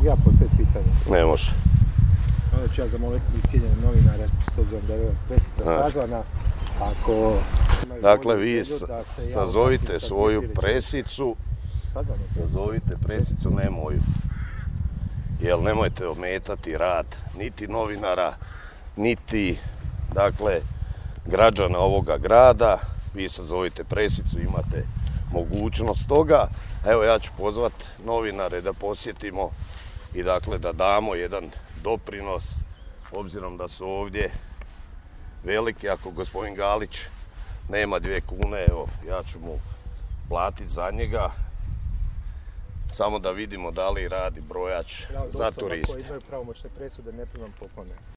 Mogu ja postaviti pitanje? Ne može. Onda ću ja zamoliti cijenjene novinare, s obzirom da je presica sazvana. Ako... Dakle, vi sazovite svoju presicu. Sazovite presicu, ne moju. Jer nemojte ometati rad niti novinara, niti, dakle, građana ovoga grada. Vi sazovite presicu, imate mogućnost toga. Evo, ja ću pozvati novinare da posjetimo i dakle da damo jedan doprinos, obzirom da su ovdje veliki. Ako gospodin Galić nema 2 kune, evo, ja ću mu platiti za njega. Samo da vidimo da li radi brojač za turiste. Koji imaju pravomoćne presude, ne primam poklone.